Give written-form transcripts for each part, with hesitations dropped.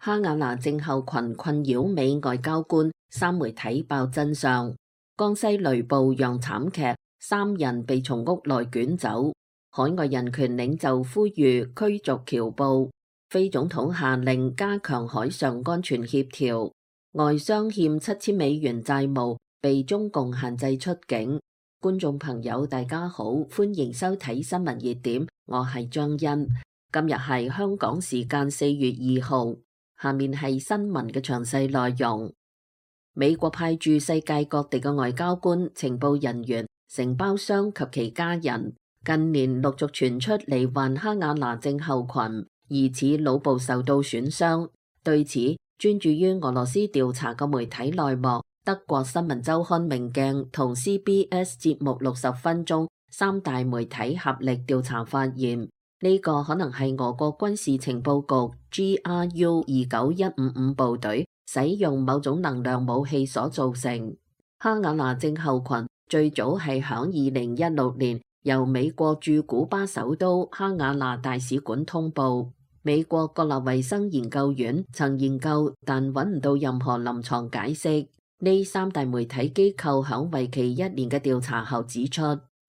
哈瓦那症候群困擾美外交官，三媒體爆真相。江西雷暴釀慘劇，3人被從屋內捲走。海外人權領袖呼籲驅逐僑報。非總統下令加強海上安全協調。外商欠$7000債務，被中共限制出境。觀眾朋友大家好，歡迎收睇新聞熱點，我係張欣。今日係香港時間4月2號。下面係新聞嘅詳細內容。美國派駐世界各地嘅外交官、情報人員、承包商及其家人，近年陸續傳出罹患哈瓦那症候群，疑似腦部受到損傷。對此，專注於俄羅斯調查嘅媒體內幕德國新聞週刊明鏡同 CBS 節目60分鐘3大媒體合力調查發現，呢個可能係俄國軍事情報局 GRU 29155部隊使用某種能量武器所造成。哈瓦那症候群最早係響2016年由美國駐古巴首都哈瓦那大使館通報。美國國立衛生研究院曾研究，但揾唔到任何臨床解釋。呢3大媒體機構響為期1年嘅調查後指出，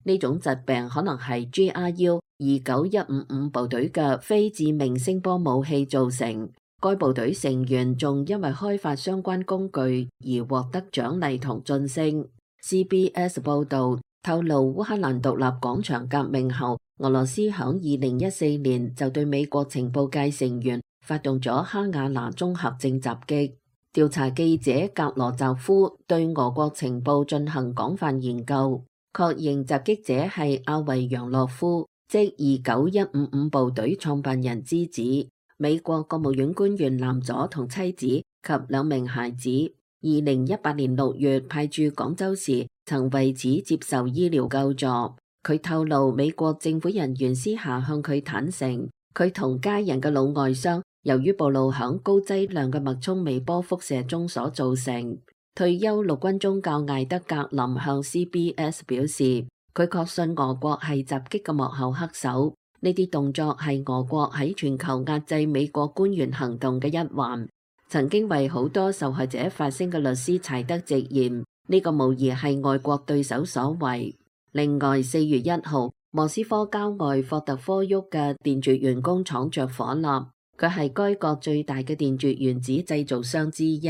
呢種疾病可能係 GRU 29155部隊嘅非致命聲波武器造成。該部隊成員仲因為開發相關工具而獲得獎勵同晉升。CBS 報導透露，烏克蘭獨立廣場革命後，俄羅斯響2014年就對美國情報界成員發動咗哈瓦那綜合症襲擊。調查記者格羅澤夫對俄國情報進行廣泛研究，確認襲擊者係阿維揚洛夫，即29155部隊創辦人之子，美國國務院官員藍佐同妻子及2名孩子。2018年6月派駐廣州時，曾為此接受醫療救助。佢透露，美國政府人員私下向佢坦誠，佢同家人嘅腦外傷由於暴露響高劑量嘅脈衝微波輻射中所造成。退休陸軍中校艾德格林向 CBS 表示，佢確信俄國係襲擊嘅幕後黑手，呢啲動作係俄國喺全球壓制美國官員行動嘅一環。曾經為好多受害者發聲嘅律師柴德直言，呢個無疑係外國對手所為。另外，4月1號，莫斯科郊外霍特科沃嘅電絕緣工廠着火啦。佢係該國最大嘅電絕原子製造商之一。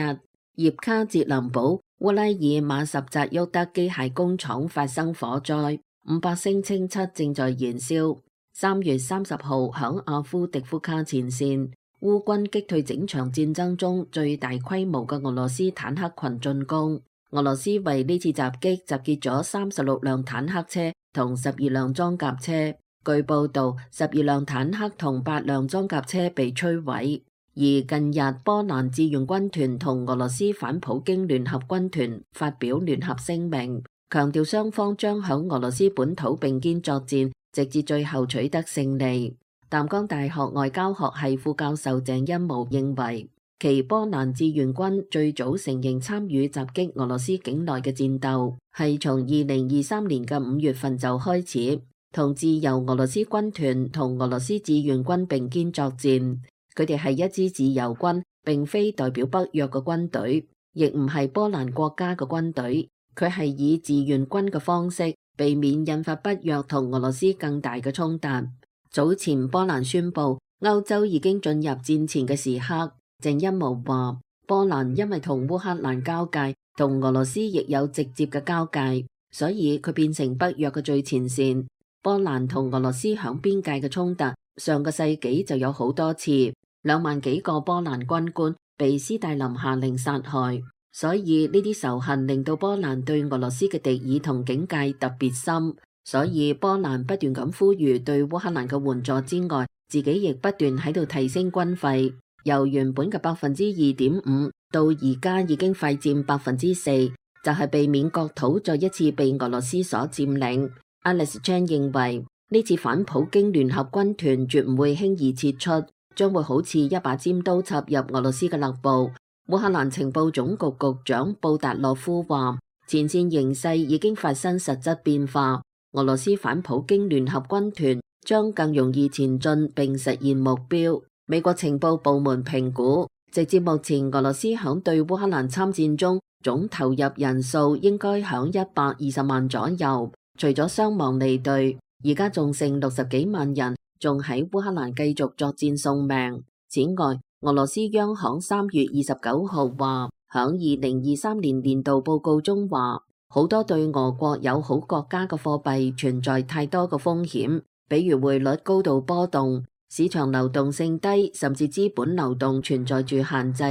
葉卡捷林堡烏拉爾馬什扎沃德機械工廠發生火災，500升氰漆正在燃燒。3月30號，響阿夫迪夫卡前線，烏軍擊退整場戰爭中最大規模嘅俄羅斯坦克群進攻。俄羅斯為呢次襲擊集結咗36輛坦克車同12輛裝甲車。據報道，12輛坦克同8輛裝甲車被摧毀。而近日，波蘭志願軍團同俄羅斯反普京聯合軍團發表聯合聲明，強調雙方將響俄羅斯本土並肩作戰，直至最後取得勝利。淡江大學外交學系副教授鄭欣模認為，其波蘭志願軍最早承認參與襲擊俄羅斯境內嘅戰鬥，係從2023年嘅5月份就開始，同自由俄羅斯軍團同俄羅斯志願軍並肩作戰。佢哋係一支自由軍，並非代表北約嘅軍隊，亦唔係波蘭國家嘅軍隊。佢係以志願軍嘅方式，避免引發北約同俄羅斯更大嘅衝突。早前波蘭宣布歐洲已經進入戰前嘅時刻。鄭欣模話，波蘭因為同烏克蘭交界，同俄羅斯亦有直接嘅交界，所以佢變成北約嘅最前線。波蘭同俄羅斯響邊界嘅衝突，上個世紀就有好多次，2萬幾個波蘭軍官被斯大林下令殺害，所以呢啲仇恨令到波蘭對俄羅斯嘅敵意同警戒特別深。所以波蘭不斷咁呼籲對烏克蘭嘅援助之外，自己亦不斷喺度提升軍費，由原本嘅2.5%到而家已經快佔4%，就係避免國土再一次被俄羅斯所佔領。Alex Chan 認為呢次反普京聯合軍團絕唔會輕易撤出，將會好似一把尖刀插入俄羅斯嘅肋部。烏克蘭情報總局局長布達洛夫話，前線形勢已經發生實質變化，俄羅斯反普京聯合軍團將更容易前進並實現目標。美國情報部門評估，直至目前，俄羅斯響對烏克蘭參戰中總投入人數應該響120萬左右，除咗傷亡離隊，而家仲剩60幾萬人仲喺烏克蘭繼續作戰送命。此外，俄羅斯央行3月29號話，響2023年年度報告中話，好多對俄國友好國家嘅貨幣存在太多嘅風險，比如匯率高度波動、市場流動性低，甚至資本流動存在住限制，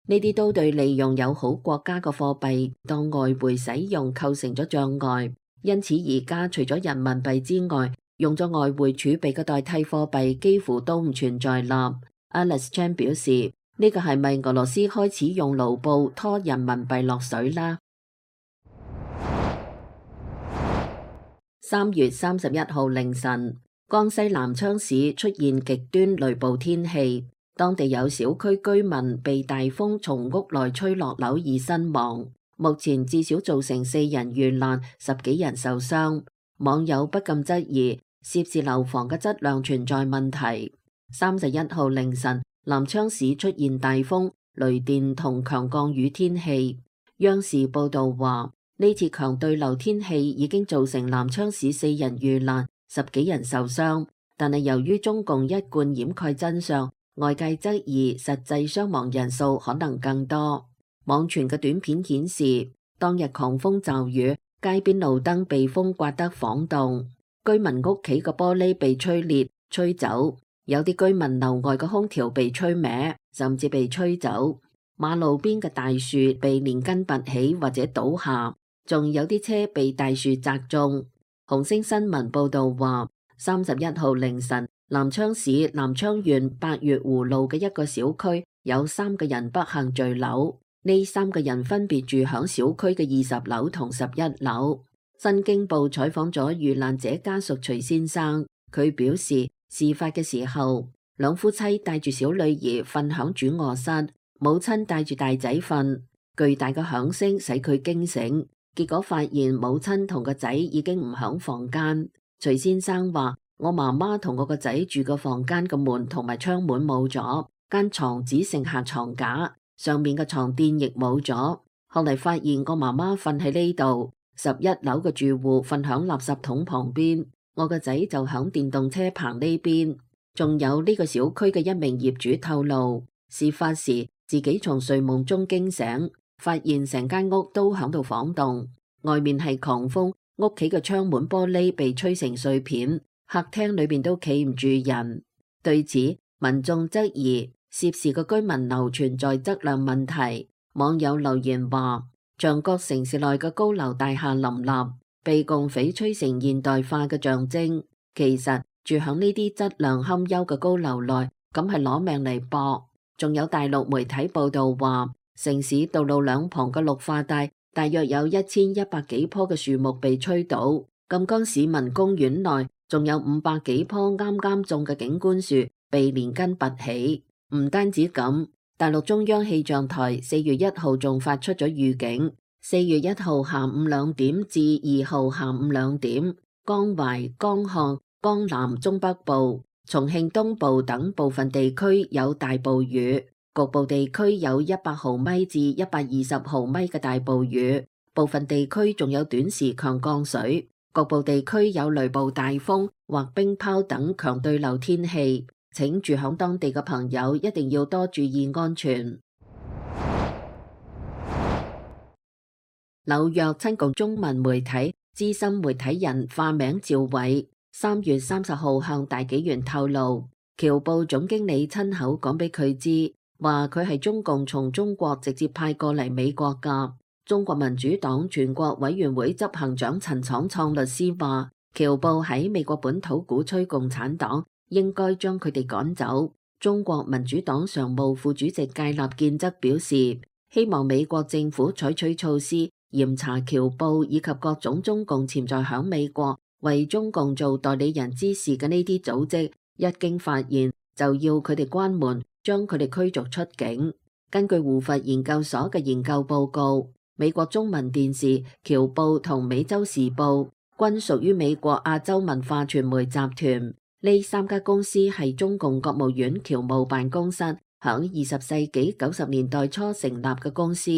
呢啲都對利用友好國家嘅貨幣當外匯使用構成咗障礙。因此而家除咗人民幣之外，用咗外匯儲備嘅代替貨幣幾乎都唔存在啦。Alice Chan 表示，呢個係咪俄羅斯開始用盧布拖人民幣落水啦？3月31號凌晨，江西南昌市出現極端雷暴天氣，當地有小區居民被大風從屋內吹落樓而身亡。目前至少造成4人遇難，10幾人受傷。網友不禁質疑涉事樓房嘅質量存在問題。31號凌晨，南昌市出現大風、雷電同強降雨天氣。央視報道話，呢次強對流天氣已經造成南昌市4人遇難，10幾人受傷。但係由於中共一貫掩蓋真相，外界質疑實際傷亡人數可能更多。網傳嘅短片顯示，當日狂風驟雨，街邊路燈被風刮得晃動，居民屋企嘅玻璃被吹裂、吹走。有啲居民樓外嘅空調被吹歪，甚至被吹走。馬路邊嘅大樹被連根拔起或者倒下，仲有啲車被大樹砸中。紅星新聞報道話，31號凌晨，南昌市南昌縣八月湖路嘅一個小區有3個人不幸墜樓，呢3個人分別住響小區嘅20樓同11樓。新京報採訪咗遇難者家屬徐先生，佢表示，事發嘅時候，兩夫妻帶住小女兒瞓響主臥室，母親帶住大仔瞓，巨大嘅響聲使佢驚醒，結果發現母親同個仔已經唔響房間。徐先生話，我媽媽同我個仔住個房間嘅門同埋窗門冇咗，間床只剩下床架，上面嘅床墊亦冇咗。後嚟發現我媽媽瞓喺呢度，11樓嘅住戶瞓響垃圾桶旁邊，我個仔就響電動車棚呢邊。仲有呢個小區嘅一名業主透露，事發時自己從睡夢中驚醒，發現成間屋都響度晃動，外面係狂風，屋企嘅窗門玻璃被吹成碎片，客廳裏邊都企唔住人。對此，民眾質疑涉事嘅居民樓存在質量問題。網友留言話，象國城市內嘅高樓大廈林立，被共匪吹成現代化嘅象徵。其實住響呢啲質量堪憂嘅高樓內，咁係攞命嚟搏。仲有大陸媒體報道話，城市道路兩旁嘅綠化帶大約有1100幾棵嘅樹木被吹倒。錦江市民公園內仲有500幾棵啱啱種嘅景觀樹被連根拔起。唔單止咁，大陸中央氣象台4月1號仲發出咗預警，4月1號下午2點至2號下午2點，江淮、江漢、江南中北部、重慶東部等部分地區有大暴雨，局部地區有100毫米至120毫米嘅大暴雨，部分地區仲有短時強降水，局部地區有雷暴大風或冰雹等強對流天氣。請住響當地嘅朋友一定要多注意安全。紐約親共中文媒體資深媒體人化名趙偉3月30號向大紀元透露，僑報總經理親口講俾佢知，話佢係中共從中國直接派過嚟美國噶。中國民主黨全國委員會執行長陳闖創律師話，僑報喺美國本土鼓吹共產黨，應該將佢哋趕走。中國民主黨常務副主席芥立健則表示，希望美國政府採取措施嚴查僑報以及各種中共潛在響美國為中共做代理人之事嘅呢啲組織，一經發現就要佢哋關門，將佢哋驅逐出境。根據胡佛研究所嘅研究報告，美國中文電視、僑報同美洲時報均屬於美國亞洲文化傳媒集團。呢3家公司係中共國務院僑務辦公室響20世紀90年代初成立嘅公司。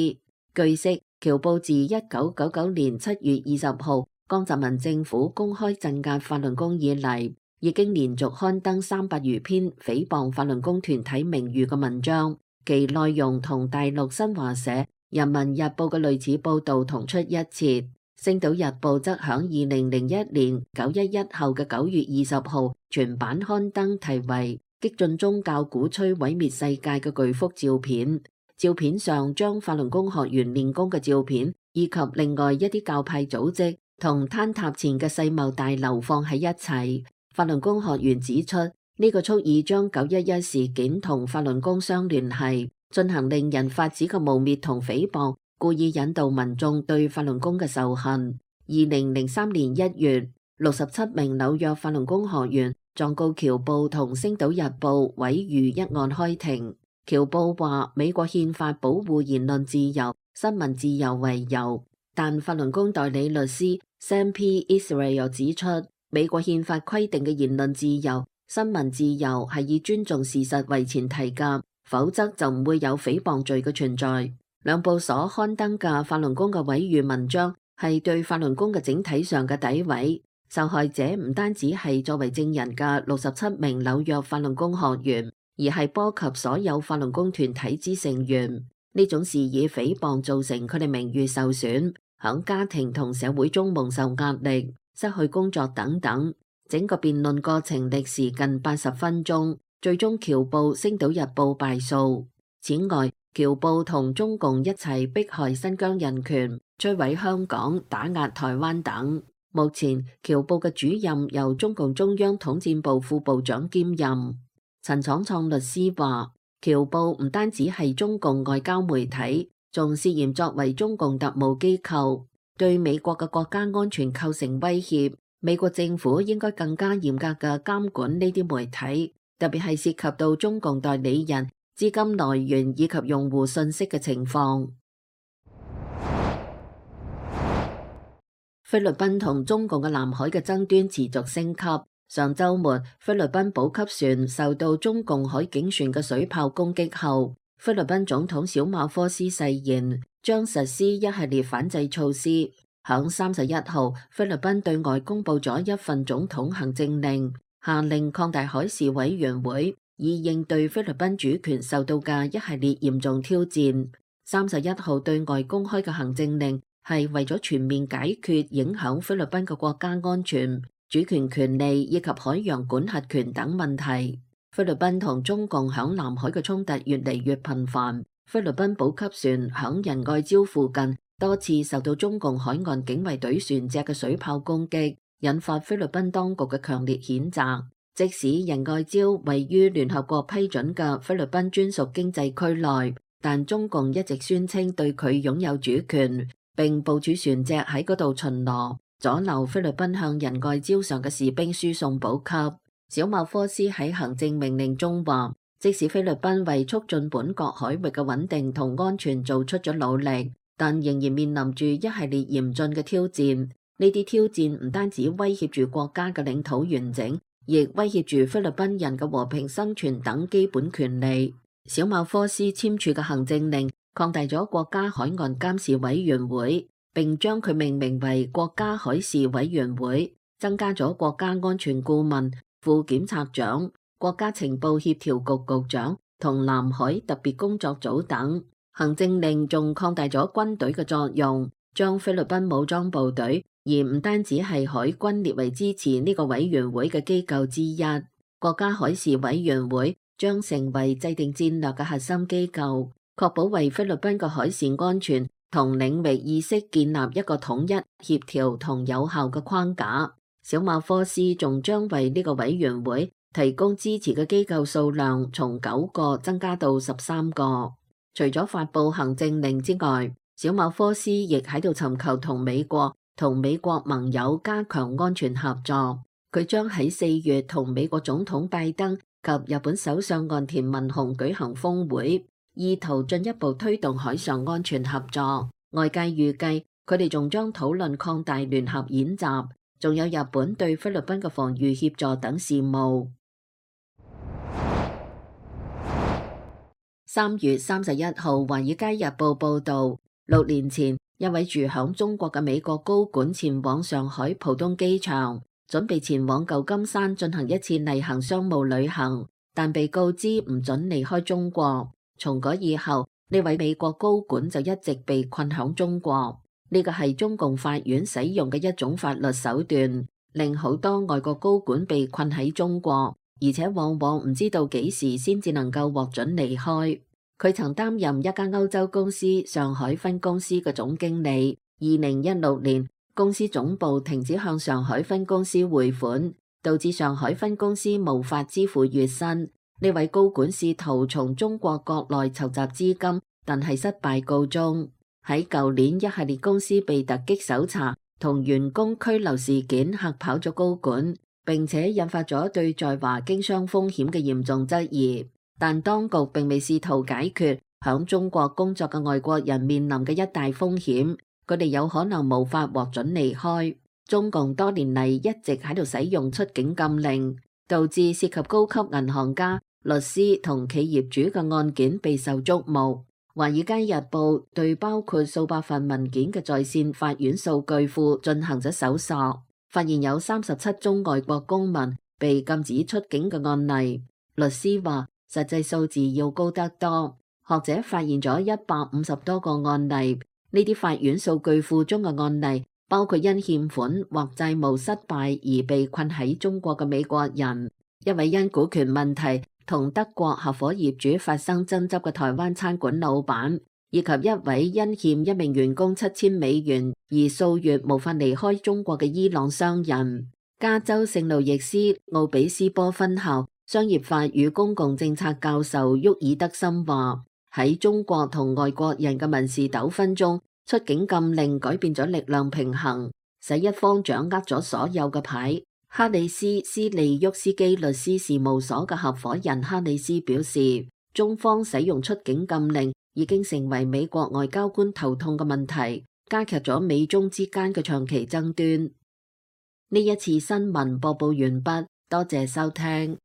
據悉，僑報自1999年7月20號江澤民政府公開鎮壓法輪功以嚟，已經連續刊登300餘篇誹謗法輪功團體名譽嘅文章，其內容同大陸新華社、人民日報嘅類似報導同出一轍。星島日報則響2001年911後嘅9月20號全版刊登題為激進宗教鼓吹毀滅世界嘅巨幅照片。照片上將法輪功學員練功嘅照片，以及另外一啲教派組織同坍塌前嘅世貿大樓放喺一齊。法輪功學員指出，呢個蓄意將911事件同法輪功相聯繫，進行令人髮指嘅誣衊同誹謗，故意引導民眾對法輪功嘅仇恨。2003年1月，67名紐約法輪功學員狀告僑報同星島日報毀譽一案開庭。僑報話美國憲法保護言論自由、新聞自由為由，但法輪功代理律師 Sam P. Israel 指出，美國憲法規定嘅言論自由、新聞自由係以尊重事實為前提㗎，否則就唔會有誹謗罪嘅存在。兩報所刊登嘅法輪功嘅毀譽文章係對法輪功嘅整體上嘅詆毀，受害者唔單止係作為證人嘅67名紐約法輪功學員，而係波及所有法輪功團體之成員。呢種事以誹謗造成佢哋名譽受損，響家庭同社會中蒙受壓力、失去工作等等。整個辯論過程歷時近80分鐘，最終僑報、星島日報敗訴。此外，僑報同中共一齊迫害新疆人權、摧毀香港、打壓台灣等。目前，僑報嘅主任由中共中央統戰部副部長兼任。陳闖創律師話，僑報唔單止係中共外交媒體，仲涉嫌作為中共特務機構，對美國嘅國家安全構成威脅。美國政府應該更加嚴格嘅監管呢啲媒體，特別係涉及到中共代理人、資金來源以及用戶信息嘅情況。菲律賓同中共嘅南海嘅爭端持續升級。上週末，菲律賓補給船受到中共海警船嘅水炮攻擊後，菲律賓總統小馬科斯誓言將實施一系列反制措施。響31號，菲律賓對外公佈咗一份總統行政令，下令擴大海事委員會，以應對菲律賓主權受到嘅一系列嚴重挑戰。31號對外公開嘅行政令係為咗全面解決影響菲律賓嘅國家安全、主權權利以及海洋管轄權等問題。菲律賓同中共響南海嘅衝突越嚟越頻繁。菲律賓補給船響仁愛礁附近多次受到中共海岸警衛隊船隻嘅水炮攻擊，引發菲律賓當局嘅強烈譴責。即使仁愛礁位於聯合國批准嘅菲律賓專屬經濟區內，但中共一直宣稱對佢擁有主權，並部署船隻喺嗰度巡邏，阻撓菲律賓向仁愛礁上嘅士兵輸送補給。小馬科斯喺行政命令中話，即使菲律賓為促進本國海域嘅穩定同安全做出咗努力，但仍然面臨住一系列嚴峻嘅挑戰。呢啲挑戰唔單止威脅住國家嘅領土完整，亦威脅住菲律賓人嘅和平生存等基本權利。小馬科斯簽署嘅行政令擴大咗國家海岸監視委員會，並將佢命名為國家海事委員會，增加咗國家安全顧問、副檢察長、國家情報協調局局長同南海特別工作組等。行政令仲擴大咗軍隊嘅作用，將菲律賓武裝部隊而唔單止係海軍列為支持呢個委員會嘅機構之一。國家海事委員會將成為制定戰略嘅核心機構，確保為菲律賓嘅海事安全同領域意識建立一個統一、協調同有效嘅框架。小馬科斯仲將為呢個委員會提供支持嘅機構數量從9個增加到13個。除咗發佈行政令之外，小馬科斯亦喺度尋求同美國盟友加強安全合作。佢將喺4月同美國總統拜登及日本首相岸田文雄舉行峰會，意圖進一步推動海上安全合作。外界預計佢哋仲將討論擴大聯合演習，仲有日本對菲律賓嘅防禦協助等事務。3月31號，《華爾街日報》報道，6年前，一位住響中國嘅美國高管前往上海浦東機場，準備前往舊金山進行一次例行商務旅行，但被告知唔准離開中國。從嗰以後，呢位美國高管就一直被困響中國。呢個係中共法院使用嘅一種法律手段，令好多外國高管被困喺中國，而且往往唔知道幾時先至能夠獲准離開。佢曾擔任一家歐洲公司上海分公司嘅總經理。2016年，公司總部停止向上海分公司匯款，導致上海分公司無法支付月薪。呢位高管試圖從中國國內籌集資金，但係失敗告終。喺舊年，一系列公司被突擊搜查同員工拘留事件嚇跑咗高管，並且引發咗對在華經商風險嘅嚴重質疑。但當局並未試圖解決響中國工作嘅外國人面臨嘅一大風險，佢哋有可能無法獲准離開。中共多年嚟一直喺度使用出境禁令，導致涉及高級銀行家、律師同企業主嘅案件備受矚目。《華爾街日報》對包括數百份文件嘅在線法院數據庫進行咗搜索，發現有37宗外國公民被禁止出境嘅案例。律師話，實際數字要高得多。學者發現咗150多個案例，呢啲法院數據庫中嘅案例包括因欠款或債務失敗而被困喺中國嘅美國人，一位因股權問題同德國合夥業主發生爭執嘅台灣餐館老闆，以及一位因欠一名員工$7000而數月無法離開中國嘅伊朗商人。加州聖路易斯奧比斯波分校商業法與公共政策教授沃爾德森話，喺中國同外國人嘅民事糾紛中，出境禁令改變咗力量平衡，使一方掌握咗所有嘅牌。哈里斯斯利沃斯基律師事務所嘅合夥人哈里斯表示，中方使用出境禁令已經成為美國外交官頭痛嘅問題，加劇咗美中之間嘅長期爭端。呢一次新聞播報完畢，多謝收聽。